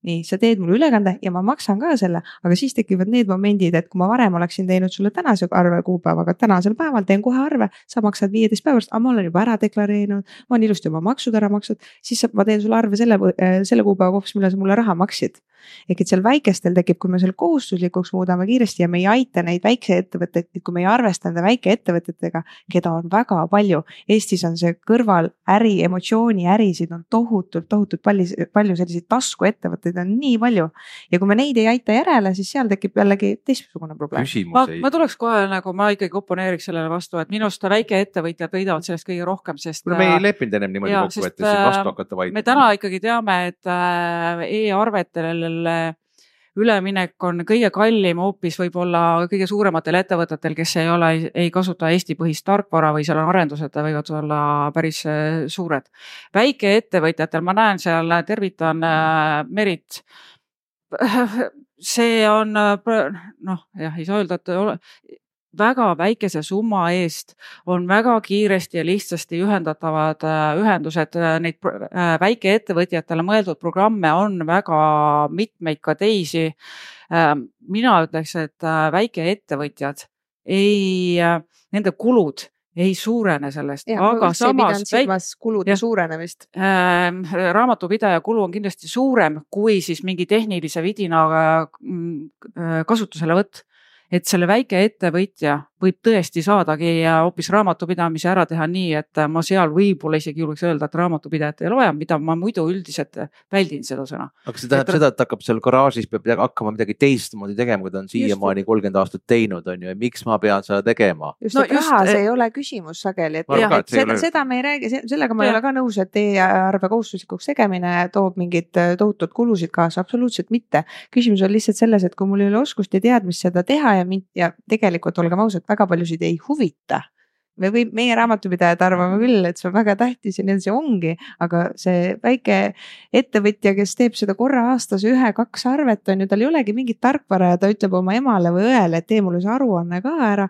nii, sa teed mulle ülekande ja ma maksan ka selle, aga siis tekivad need momendid, et kui ma varem oleksin teinud sulle tänase arve kuupäevaga, tänasel päeval teen kohe arve, sa maksad 15 päevast, aga ma olen juba ära deklareerinud, ma olen ilusti oma maksud ära maksud, siis ma teen sulle arve selle kuupäeva koos, millal sa mulle raha maksid. Ehk et seal väikestel tekib, kui me selle kohustuslikuks muudame kiiresti ja me ei aita neid väikse ettevõtteid, kui me ei arvesta nende väikeettevõtetega, keda on väga palju. Eestis on see kõrval äri, emotsiooni ärisid on tohutult palju selliseid taskuettevõtteid on nii palju. Ja kui me neid ei aita järele, siis seal tekib jällegi teistsugune probleem. Ma tuleks kohe nagu, ma ikkagi oponeeriks sellele vastu, et minust väikeettevõtjad võidavad sellest kõige rohkem, sest me ei leppinud ennem niimoodi kokku, et siin vastu hakata vaid. Me täna ikkagi teame, et e-arvetele üleminek on kõige kallim hoopis võib-olla kõige suurematel ettevõtetel, kes ei kasuta Eesti põhist tarkvara või seal on arendused võivad olla päris suured. Väike ettevõtjatel, ma näen seal, tervitan Merit. See on, ei saa öelda, et väga väikese summa eest on väga kiiresti ja lihtsasti ühendatavad ühendused. Neid väikeettevõtjatele mõeldud programme on väga mitmeid ka teisi. Mina ütleks, et väikeettevõtjad nende kulud ei suurene sellest. Aga samas kulude suurenemist. Raamatupidaja kulu on kindlasti suurem kui siis mingi tehnilise vidina kasutusele võtt. Et selle väike ettevõtja võib tõesti saadagi hoopis raamatupidamise ära teha nii, et ma seal võib-olla isegi julgeks öelda, et raamatupidajat ei ole vaja, mida ma muidu üldiselt väldin seda sõna. Aga see tähendab seda, et hakkab seal garaažis peab hakkama midagi teistmoodi tegema, kui ta on siiamaani 30 aastat teinud, on ju, ja miks ma pean seda tegema? Rahas ei ole küsimus sageli, seda me ei räägi, sellega ma ei ole ka nõus, et e-arve kohustuslikuks tegemine toob mingid tohutud kulusid kaasa, absoluutselt mitte. Küsimus on lihtsalt selles, et kui mul ei ole oskust ja teadmist seda teha ja tegelikult olgem ausad, väga paljusid ei huvita. Meie raamatupidajad arvame küll, et see on väga tähtis ja nii see ongi, aga see väike ettevõtja, kes teeb seda korra aastas 1-2 arvet on ju, tal ei olegi mingit tarkvara ja ta ütleb oma emale või õele, et tee mulle see aruanne ka ära.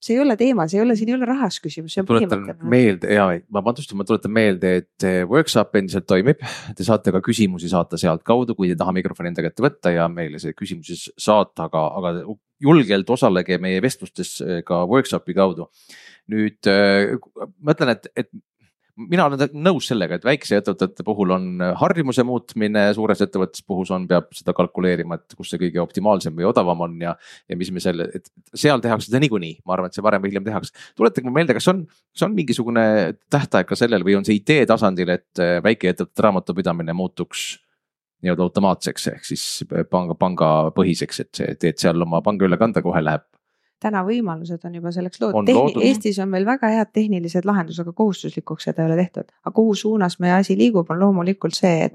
See ei ole teema, siin ei ole rahas küsimus. Ma tuletan meelde, et workshop endiselt toimib. Te saate ka küsimusi saata sealt kaudu, kui te taha mikrofoni enda kätte võtta ja meile see küsimusi saata, aga julgelt osalege meie vestlustes ka workshopi kaudu. Nüüd ma ütlen, et mina olen nõus sellega, et väikse ettevõtete puhul on harjumuse muutmine, suures ettevõttes puhul peab seda kalkuleerima, et kus see kõige optimaalsem või odavam on ja mis me et seal tehakse seda niikuinii. Ma arvan, et see varem või hiljem tehakse. Tuletage mu meelde, kas on mingisugune tähtaeg ka sellel või on see idee tasandil, et väike ettevõtete raamatupidamine muutuks nii-öelda automaatseks ehk siis panga põhiseks, et see teed seal oma panga ülekande kohe läheb. Täna võimalused on juba selleks loodud. Eestis on meil väga head tehnilised lahendused, aga kohustuslikuks seda ei ole tehtud. Aga kuhu suunas meie asi liigub on loomulikult see,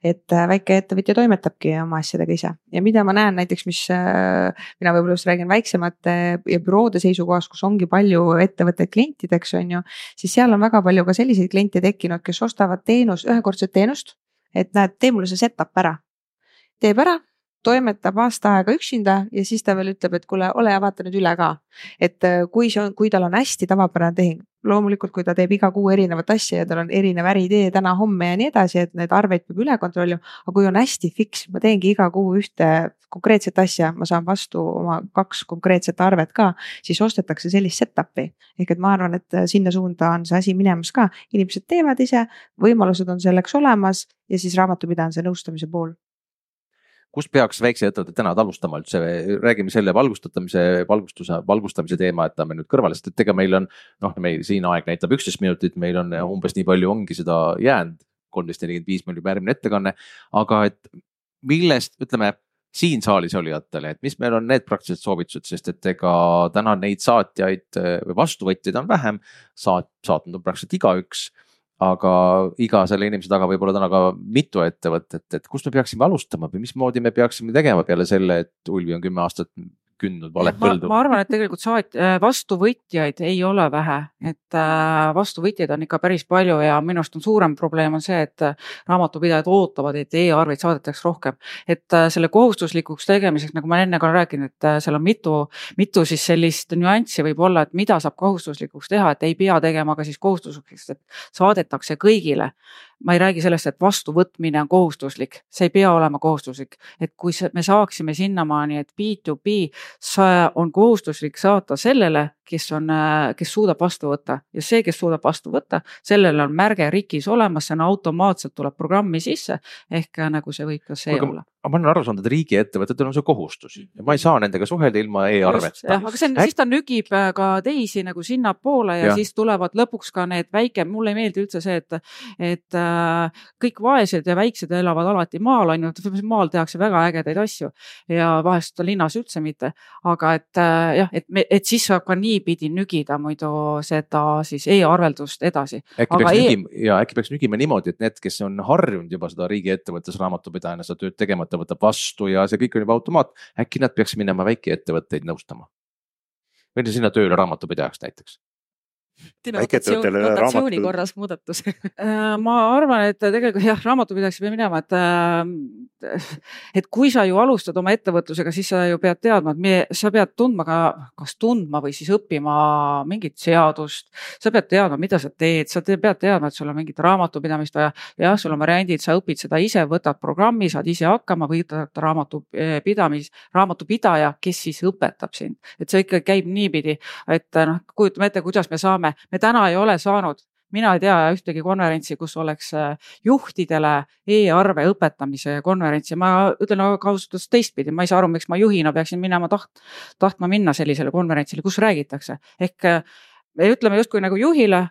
et väike ettevõtja toimetabki oma asjadega ise. Ja mida ma näen näiteks, mis mina võib-olla just räägin väiksemate ja büroode seisukohas, kus ongi palju ettevõtteid klientideks on ju, siis seal on väga palju ka selliseid kliente tekkinud, kes ostavad ühekordset teenust, et näed, tee mulle see setup ära. Teeb ära. Toimetab aasta aega üksinda ja siis ta veel ütleb, et kuule, ole ja vaata nüüd üle ka. Et kui tal on hästi tavapärane tehing, loomulikult kui ta teeb iga kuu erinevat asja ja tal on erinev äriidee täna, homme ja nii edasi, et need arveid peab üle kontrollima, aga kui on hästi fix, ma teengi iga kuu ühte konkreetset asja, ma saan vastu oma 2 konkreetset arvet ka, siis ostetakse sellist setupi. Ehk et ma arvan, et sinna suunda on see asi minemas ka, inimesed teevad ise, võimalused on selleks olemas ja siis raamatupidaja on see nõustamise pool. Kus peaks väikse ettevõtted täna alustama üldse, räägime selle valgustamise teema, et me nüüd kõrvale, sest et ega meil on, meil siin aeg näitab 11 minutit, meil on umbes nii palju ongi seda jäänud, 13:45 meil juba järgmine ettekanne, aga et millest, ütleme, siin saalis olijatele, et mis meil on need praktilised soovitused, sest et ega täna neid saatjaid või vastuvõtjaid on vähem, saatnud on praktiliselt igaüks. Aga iga selle inimese taga võib olla täna ka mitu ettevõtet, et kust me peaksime alustama või mismoodi me peaksime tegema peale selle, et Ulvi on 10 aastat kündnud valet põldu. Ma arvan, et tegelikult vastuvõtjaid ei ole vähe, et vastuvõtjaid on ikka päris palju ja minust on suurem probleem on see, et raamatupidajad ootavad, et e-arveid saadetaks rohkem. Et selle kohustuslikuks tegemiseks, nagu ma enne ka räägin, et seal on mitu siis sellist nüanssi võib olla, et mida saab kohustuslikuks teha, et ei pea tegema ka siis kohustuslikuks, et saadetakse kõigile. ma ei räägi sellest, et vastuvõtmine on kohustuslik, see ei pea olema kohustuslik, et kui me saaksime sinnamaani, et B2B on kohustuslik saata sellele, kes suudab vastu võtta ja see, kes suudab vastu võtta, sellele on märge RIK-is olemas, see on automaatselt tuleb programmi sisse ehk nagu see võib ka see olla. Ma olen aru saanud, et riigiettevõtetel on see kohustus ja ma ei saa nendega suhelda ilma e-arveta. Aga siis ta nügib ka teisi nagu sinna poole ja siis tulevad lõpuks ka need mulle ei meeldi üldse see, et kõik vaesed ja väiksed elavad alati maal, ainult maal tehakse väga ägedaid asju ja vahest linnas üldse mitte, aga et siis saab ka niipidi nügida muidu seda siis e-arveldust edasi. Äkki peaks nügima niimoodi, et need, kes on harjunud juba seda riigiettevõttes raamatupidajana seda tööd tegema, ta võtab vastu ja see kõik on juba automaat. Äkki nad peaks minema väikeettevõtteid nõustama? Või sinna tööle raamatupidajaks näiteks? Notatsiooni korras muudatus. Ma arvan, et tegelikult raamatupidajaks peab minema, et kui sa ju alustad oma ettevõtlusega, siis sa ju pead teadma, et sa pead tundma kas tundma või siis õppima mingit seadust. Sa pead teadma, mida sa teed, sa pead teadma, et sul on mingit raamatupidamist vaja. Ja sul on variandid, sa õpid seda ise, võtad programmi, saad ise hakkama, võtad raamatupidaja, kes siis õpetab sind. Et see ikka käib niipidi, et kujutame ette, kuidas me saame. Me täna ei ole saanud, mina ei tea ühtegi konverentsi, kus oleks juhtidele e-arve õpetamise konverentsi. Ma ütlen kausutust teistpidi, ma ei saa aru, miks ma juhina peaksin minema tahtma minna sellisele konverentsile, kus räägitakse. Ehk me ütleme justkui nagu juhile,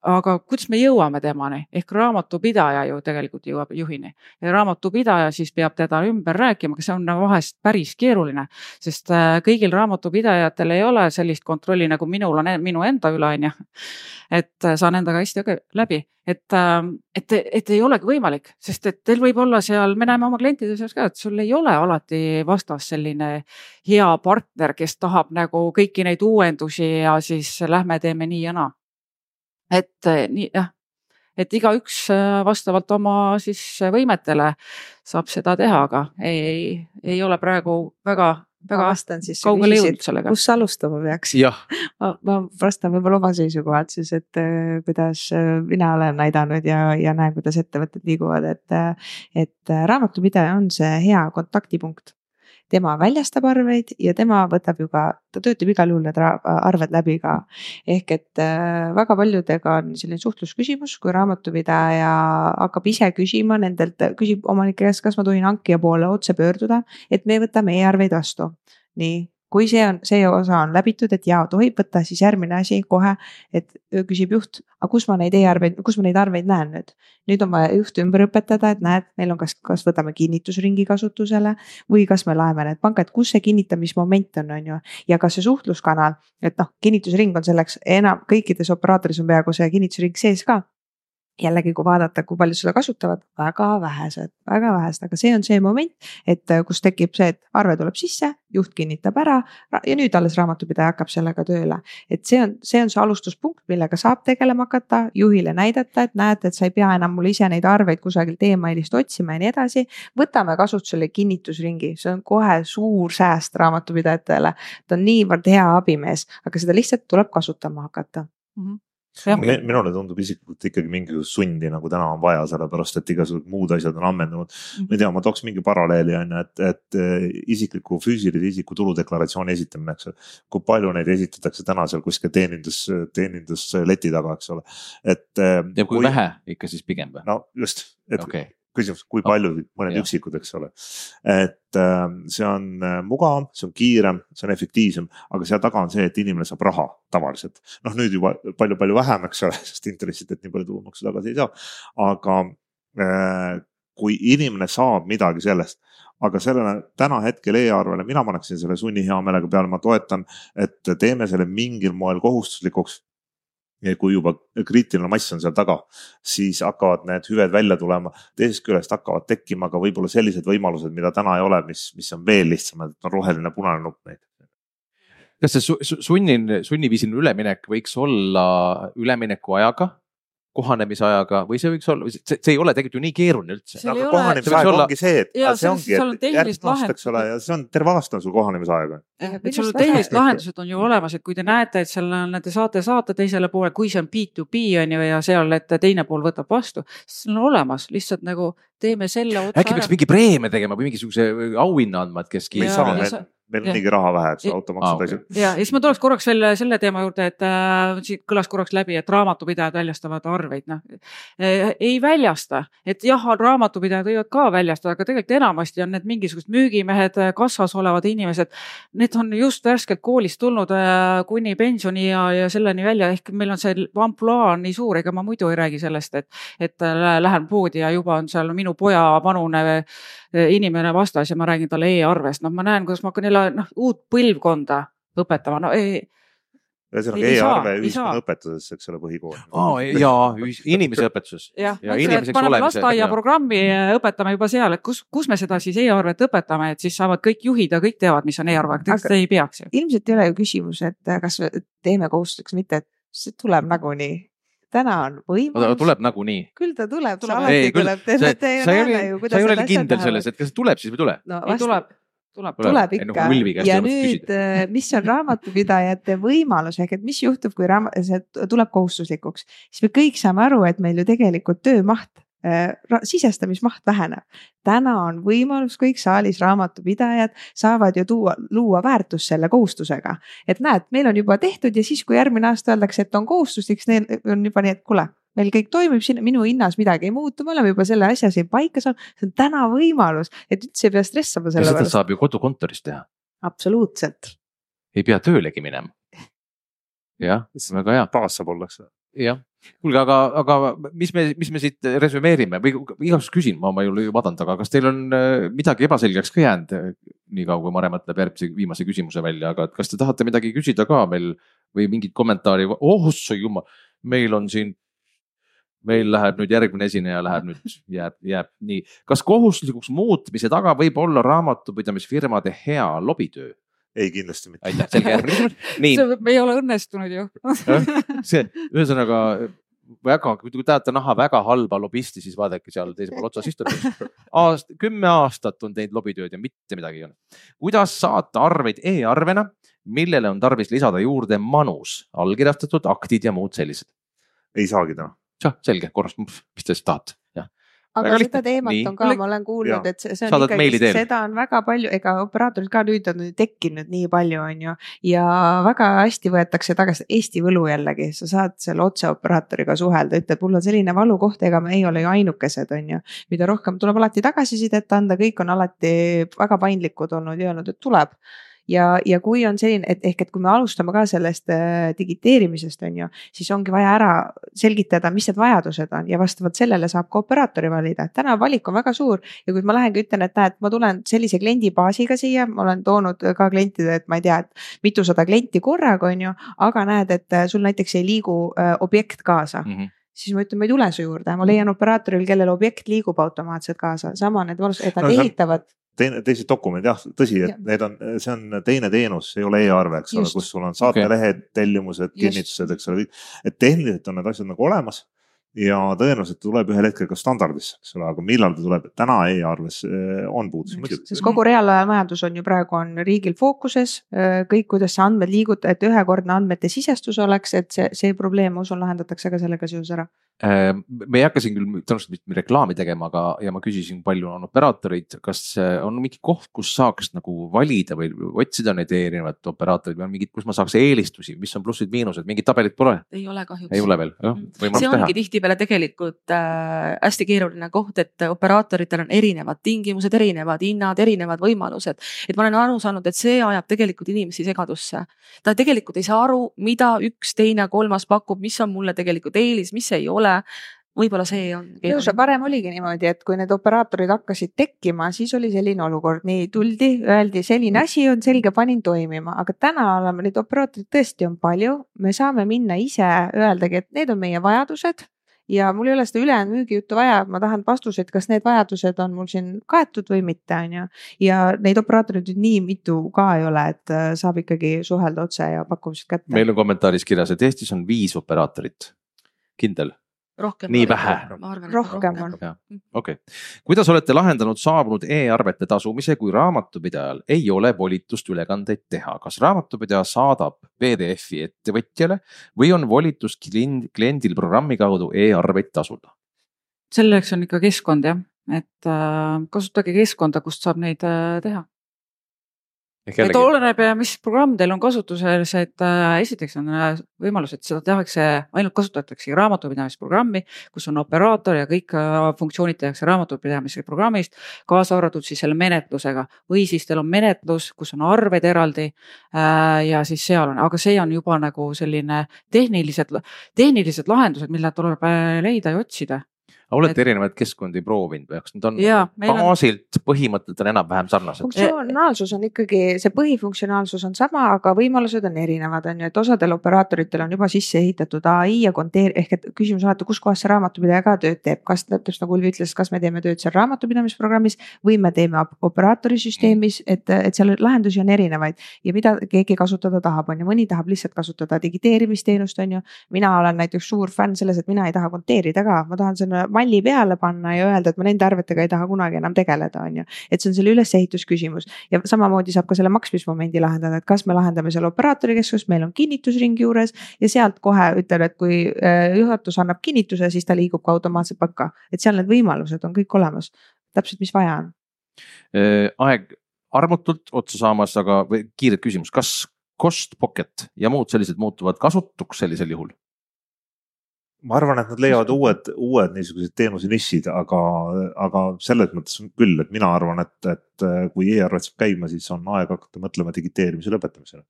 aga kuidas me jõuame temani? Ehk raamatupidaja ju tegelikult jõuab juhini. Ja raamatupidaja siis peab teda ümber rääkima, aga see on vahest päris keeruline, sest kõigil raamatupidajatel ei ole sellist kontrolli, nagu minul on minu enda üle, et saan endaga hästi läbi. Et ei olegi võimalik, sest et teil võib olla seal, me näeme oma klientide seas ka, et sul ei ole alati vastas selline hea partner, kes tahab nagu kõiki neid uuendusi ja siis lähme teeme nii ja naa. Et igaüks vastavalt oma siis võimetele saab seda teha, aga ei ole praegu väga kaugele jõudnud sellega. Kus alustama peaks? Ma vastan võib-olla oma seisukohalt siis, et kuidas mina olen näidanud ja näen, kuidas ettevõtted liiguvad, et raamatupidaja on see hea kontaktipunkt. Tema väljastab arveid ja tema võtab ta töötab igal juhul need arved läbi ka. Ehk et väga paljudega on selline suhtlusküsimus, kui raamatupidaja hakkab ise küsima, küsib omanike käest, kas ma tohin hankija poole otse pöörduda, et me võtame e-arveid vastu. Nii, kui see osa on läbitud, et tohib võtta, siis järgmine asi kohe, et küsib juht, aga kus ma neid arveid näen nüüd? Nüüd on vaja juht ümber õpetada, et näed, meil on kas võtame kinnitusringi kasutusele või kas me laeme need panka, et kus see kinnitamismoment on ju. Ja kas see suhtluskanal, et kinnitusring on selleks kõikides operaatoris on peaaegu see kinnitusring sees ka. Jällegi, kui vaadata, kui palju seda kasutavad, väga vähesed, aga see on see moment, et kus tekib see, et arve tuleb sisse, juht kinnitab ära ja nüüd alles raamatupidaja hakkab sellega tööle. Et see on see alustuspunkt, millega saab tegelema hakata, juhile näidata, et näed, et sa ei pea enam mulle ise neid arveid kusagilt e-mailist otsima ja nii edasi. Võtame kasutusele kinnitusringi, see on kohe suur sääst raamatupidajatele. Ta on niivõrd hea abimees, aga seda lihtsalt tuleb kasutama hakata. Minule tundub isiklikult ikkagi mingi sundi nagu täna on vaja, sellepärast et igasugused muud asjad on ammendunud. Ma ei tea, ma tooks mingi paralleeli, et isikliku füüsilise isiku tuludeklaratsiooni esitamine, kui palju neid esitatakse täna seal kuskil teenindusleti taga, eks ole. Ja kui vähe ikka siis pigem või? No just, küsimus, kui palju mõned üksikud, eks ole. Et see on mugavam, see on kiirem, see on efektiivsem, aga seal taga on see, et inimene saab raha tavaliselt. Nüüd juba palju vähem, eks ole, sest intressid, et nii palju tulumaksu tagasi ei saa. Aga kui inimene saab midagi sellest, aga sellele täna hetkel e-arvele, mina paneksin selle sunni hea meelega peale, ma toetan, et teeme selle mingil moel kohustuslikuks. Ja kui juba kriitiline mass on seal taga, siis hakkavad need hüved välja tulema. Teisest küljest hakkavad tekkima ka võib-olla sellised võimalused, mida täna ei ole, mis on veel lihtsamad, et on roheline punane nupp neid. Kas see sunniviisiline üleminek võiks olla ülemineku ajaga? kohanemisajaga või see võiks olla, see ei ole tegelikult ju nii keeruline üldse. Aga kohanemisaeg ongi see, et see ongi, et järgmine aasta, eks ole, ja see on terve aasta sul kohanemisaega. Sul tehnilised lahendused on ju olemas, et kui te näete, et seal te saate saata teisele poole, kui see on B2B on ju ja seal, et teine pool võtab vastu, siis on olemas, lihtsalt nagu teeme selle otsa äkki peaks mingi preemia tegema või mingisuguse auhinna andma, et kes me ei saa, meil on niigi raha vähe, et see automaksud asjad. Ja siis ma tuleks korraks veel selle teema juurde, et siit kõlas korraks läbi, et raamatupidajad väljastavad arveid. Ei väljasta, et jah, raamatupidajad võivad ka väljastada, aga tegelikult enamasti on need mingisugused müügimehed, kassas olevad inimesed, need on just värskelt koolist tulnud kuni pensioni ja selleni välja, ehk meil on see ampluaa nii suur, ega ma muidu ei räägi sellest, et lähen poodi ja juba on seal minu poja vanune inimene vastas ja ma räägin talle e-arvest. Ma näen, kuidas ma hakkan uut põlvkonda õpetama. Ühesõnaga e-arve ühiskonnaõpetuses, eks ole, põhikool. Jaa, inimese õpetuses. Ja inimeseks olemise. Lasteaia programmi õpetame juba seal, et kus me seda siis e-arvet õpetame, et siis saavad kõik juhid ja kõik teavad, mis on e-arve. Tegelikult ei peaks. Ilmselt ei ole ju küsimus, et kas teeme kohustuseks mitte, et see tuleb nagunii. Täna on võimalus. Ta tuleb nagunii. Küll ta tuleb, see alati tuleb. Sa ei ole kindel selles, et kas see tuleb siis või tule? Tuleb ikka. Ja nüüd, mis on raamatupidajate võimalus, ehk et mis juhtub, kui see tuleb kohustuslikuks, siis me kõik saame aru, et meil ju tegelikult töömaht, sisestamismaht väheneb. Täna on võimalus, kõik saalis raamatupidajad saavad ju luua väärtust selle kohustusega. Et näed, meil on juba tehtud ja siis, kui järgmine aasta öeldakse, et on kohustuslik, neil on juba nii, et kuule, meil kõik toimib siin, minu hinnas midagi ei muutu, me oleme juba selle asja siin paika saanud. See on täna võimalus, et üldse ei pea stressama selle võrra. Seda saab ju kodukontoris teha. Absoluutselt. Ei pea töölegi minema. Jah, väga hea. Taas saab olla. Jah. Kuulge, aga mis me siit resümeerime või igaks küsin, ma ei ole ju vadanud, aga kas teil on midagi ebaselgeks ka jäänud nii kaua, kui Mare mõtleb viimase küsimuse välja, aga kas te tahate midagi küsida ka meil või mingit kommentaari? Meil läheb nüüd järgmine esineja jääb nii. Kas kohustuslikuks muutmise taga võib olla raamatupidamisfirmade hea lobitöö? Ei, kindlasti mitte. Aitäh, selge järgmine. See ei ole õnnestunud ju. See, ühesõnaga, kui tahate näha väga halba lobisti, siis vaadake seal teise pool otsas istub. 10 aastat on teinud lobitööd ja mitte midagi ei ole. Kuidas saata arveid e-arvena, millele on tarvis lisada juurde manus, allkirjastatud aktid ja muud sellised? Ei saagi täna. Selge, korrast, mis te siis tahate? Aga seda teemat on ka, ma olen kuulnud, et see on ikkagi, seda on väga palju, ega operaatorid ka nüüd on tekkinud nii palju, on ju, ja väga hästi võetakse tagasi Eesti võlu jällegi, sa saad selle otse operaatoriga suhelda, ütled, mul on selline valukoht, ega me ei ole ju ainukesed, on ju, mida rohkem tuleb alati tagasisidet anda, kõik on alati väga paindlikud olnud ja öelnud, et tuleb. Ja kui on selline, et kui me alustame ka sellest digiteerimisest, on ju, siis ongi vaja ära selgitada, mis need vajadused on ja vastavalt sellele saab ka operaatori valida. Täna valik on väga suur ja kui ma lähengi ütlen, et näed, ma tulen sellise kliendibaasiga siia, ma olen toonud ka klientide, et ma ei tea, et mitusada klienti korraga, on ju, aga näed, et sul näiteks ei liigu objekt kaasa. Siis ma ütlen, ma ei tule su juurde, ma leian operaatoril, kellel objekt liigub automaatselt kaasa. Sama need valus, et nad ehitavad. Teised dokumendid, jah, tõsi, et see on teine teenus, ei ole e-arve, eks ole, kus sul on saatelehed, tellimused, kinnitused, eks ole, et tehniliselt on need asjad nagu olemas ja tõenäoliselt tuleb ühel hetkel ka standardisse, eks ole, aga millal ta tuleb, täna e-arves on puudus. Sest kogu reaalaja majandus on ju praegu on riigil fookuses, kõik, kuidas see andmed liiguta, et ühekordne andmete sisestus oleks, et see probleem, usun, lahendatakse ka sellega seoses ära. Me ei hakka siin küll tõenäoliselt reklaami tegema, ja ma küsisin, palju on operaatoreid, kas on mingi koht, kus saaks nagu valida või otsida neid erinevad operaatorid või on mingid, kus ma saaks eelistusi, mis on plussid, miinused, mingid tabelid pole? Ei ole kahjuks. Ei ole veel, see ongi tihtipeale tegelikult hästi keeruline koht, et operaatoritel on erinevad tingimused, erinevad hinnad, erinevad võimalused. Et ma olen aru saanud, et see ajab tegelikult inimesi segadusse. Ta tegelikult ei saa aru, mida üks, teine, kolmas pakub, mis on mulle tegelikult eelis, mis ei ole. Võib-olla see on keeruline. Varem oligi niimoodi, et kui need operaatorid hakkasid tekkima, siis oli selline olukord, nii tuldi, öeldi selline asi on selge, panin toimima, aga täna oleme neid operaatorid tõesti on palju, me saame minna ise öeldagi, et need on meie vajadused ja mul ei ole seda ülejäänud müügijuttu vaja, ma tahan vastuseid, kas need vajadused on mul siin kaetud või mitte, on ju. Ja neid operaatorid nii mitu ka ei ole, et saab ikkagi suhelda otse ja pakkumised kätte. Meil on kommentaaris kirjas, et Eestis on 5 operaatorit. Kindel? rohkem. Nii vähe? Rohkem on. Okei. Kuidas olete lahendanud saabunud e-arvete tasumise, kui raamatupidajal ei ole volitust ülekandeid teha? Kas raamatupidaja saadab PDF-i ettevõtjale või on volitus kliendil programmi kaudu e-arveid tasuda? Selleks on ikka keskkond jah, et kasutage keskkonda, kust saab neid teha. Et oleneb, mis programm teil on kasutuses, et esiteks on võimalus, et seda tehakse, ainult kasutatakse raamatupidamisprogrammi, kus on operaator ja kõik funktsioonid tehakse raamatupidamise programmist, kaasa arvatud siis selle menetlusega või siis teil on menetlus, kus on arved eraldi ja siis seal on, aga see on juba nagu selline tehnilised lahendused, mille tuleb leida ja otsida. Olete erinevaid keskkondi proovinud või? Need on baasilt põhimõtteliselt on enam-vähem sarnased. Funktsionaalsus on ikkagi, see põhifunktsionaalsus on sama, aga võimalused on erinevad, on ju, et osadel operaatoritel on juba sisse ehitatud AI ja ehk et küsimus alati, kus kohas see raamatupidaja ka tööd teeb, kas täpselt nagu Ulvi ütles, kas me teeme tööd seal raamatupidamisprogrammis või me teeme operaatori süsteemis, et seal lahendusi on erinevaid ja mida keegi kasutada tahab, on ju, mõni tahab lihtsalt kasutada digiteerimisteenust, on ju. Mina olen näiteks suur fänn selles, et mina ei taha konteerida ka, ma tahan selle malli peale panna ja öelda, et ma nende arvetega ei taha kunagi enam tegeleda, on ju. Et see on selle üleseehitusküsimus ja samamoodi saab ka selle maksmismomendi lahendada, et kas me lahendame selle operaatori keskust, meil on kinnitusring juures ja sealt kohe ütleb, et kui juhatus annab kinnituse, siis ta liigub ka automaatselt pakka, et seal need võimalused on kõik olemas, täpselt mis vaja on. Aeg armutult otsa saamas, aga kiired küsimus, kas Cost Pocket ja muud sellised muutuvad kasutuks sellisel juhul? Ma arvan, et nad leiavad uued niisugused teenuse nišid, aga selles mõttes küll, et mina arvan, et kui e-arvet saab käima, siis on aeg hakata mõtlema digiteerimise lõpetamisele.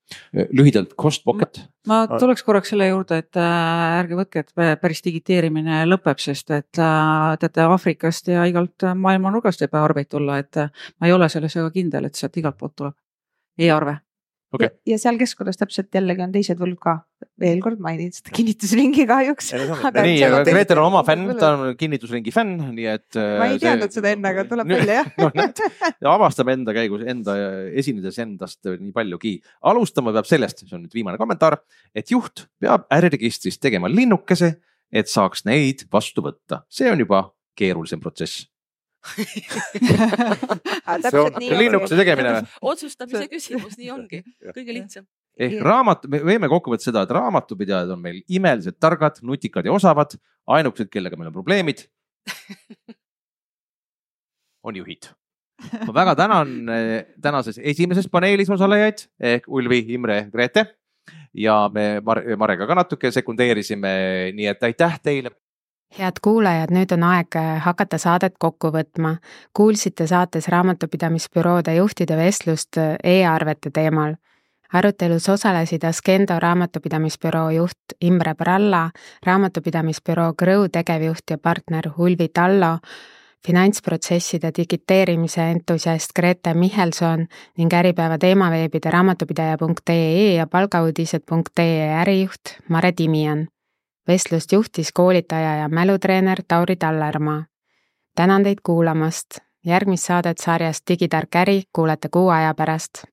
Lühidalt Cost Pocket? Ma tuleks korraks selle juurde, et ärge võtke, et päris digiteerimine lõpeb, sest et teate Afrikast ja igalt maailma nurgast ei pea arveid tulla, et ma ei ole selles väga kindel, et sealt igalt poolt tuleb e-arve. Okay. Ja seal keskkonnas täpselt jällegi on teised võlg ka. Veel kord mainin seda kinnitusringi kahjuks. Nii, aga Gretel on oma fänn, ta on kinnitusringi fänn, nii et... Ma ei teadnud seda enne, aga tuleb välja, jah. Avastab enda käigus, esinedes endast nii paljugi. Alustama peab sellest, see on nüüd viimane kommentaar, et juht peab äriregistris tegema linnukese, et saaks neid vastu võtta. See on juba keerulisem protsess. Linnukese tegemine. Otsustamise küsimus, nii ongi. Kõige lihtsam. Me võime kokku võtta seda, et raamatupidajad on meil imelised, targad, nutikad ja osavad. Ainukesed, kellega meil on probleemid, on juhid. Ma väga tänan tänases esimeses paneelis osalejaid ehk Ulvi, Imre, Grete ja me Marega ka natuke sekundeerisime, nii et aitäh teile. Head kuulajad, nüüd on aeg hakata saadet kokku võtma. Kuulsite saates raamatupidamisbüroode juhtide vestlust e-arvete teemal. Arutelus osalesid Askendo raamatupidamisbüroo juht Imre Bralla, raamatupidamisbüroo Grõu tegevjuht ja partner Ulvi Tallo, finantsprotsesside digiteerimise entusiast Grete Michelson ning Äripäeva teemaveebide raamatupidaja.ee ja palgauudised.ee ärijuht Mare Timian. Vestlust juhtis koolitaja ja mälutreener Tauri Tallermaa. Tänan teid kuulamast. Järgmist saadet sarjast Digitark äri kuulete 6 aja pärast.